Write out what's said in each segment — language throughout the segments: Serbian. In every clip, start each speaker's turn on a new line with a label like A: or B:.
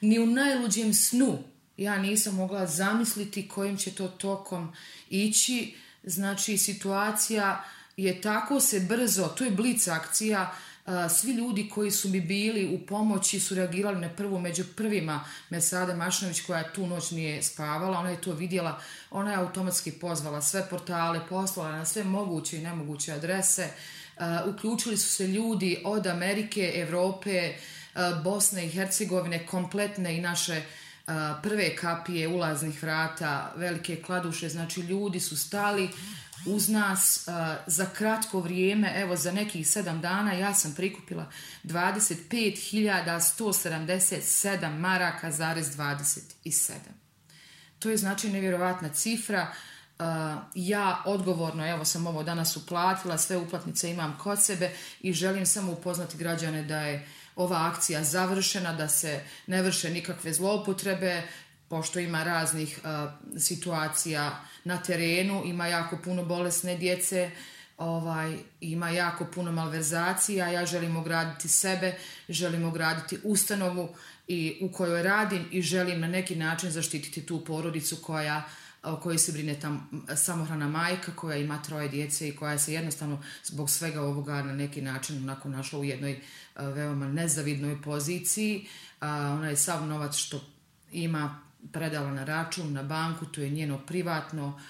A: ni u najluđem snu ja nisam mogla zamisliti kojim će to tokom ići. Znači, situacija je tako se brzo, to je blic akcija, svi ljudi koji su mi bili u pomoći su reagirali na prvu, među prvima Mesada Mašinović koja tu noć nije spavala, ona je to vidjela, ona je automatski pozvala sve portale, poslala na sve moguće i nemoguće adrese, uključili su se ljudi od Amerike, Evrope, Bosne i Hercegovine, kompletne i naše prve kapije ulaznih vrata, velike kladuše, znači ljudi su stali uz nas za kratko vrijeme, evo za nekih 7 dana ja sam prikupila 25.177 maraka zarez 27. To je znači nevjerovatna cifra. Ja odgovorno, evo sam ovo danas uplatila, sve uplatnice imam kod sebe i želim samo upoznati građane da je ova akcija završena, da se ne vrše nikakve zloupotrebe, pošto ima raznih situacija na terenu, ima jako puno bolesne djece, ima jako puno malverzacija, ja želim ograditi sebe, želim ograditi ustanovu u kojoj radim i želim na neki način zaštititi tu porodicu o kojoj se brine samohrana majka koja ima 3 djece i koja se jednostavno zbog svega ovoga na neki način onako našla u jednoj veoma nezavidnoj poziciji. Ona je sav novac što ima predala na račun, na banku, to je njeno privatno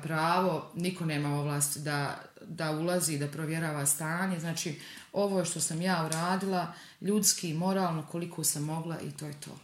A: pravo, niko nema ovlast da ulazi, da provjerava stanje, znači ovo je što sam ja uradila, ljudski i moralno koliko sam mogla i to je to.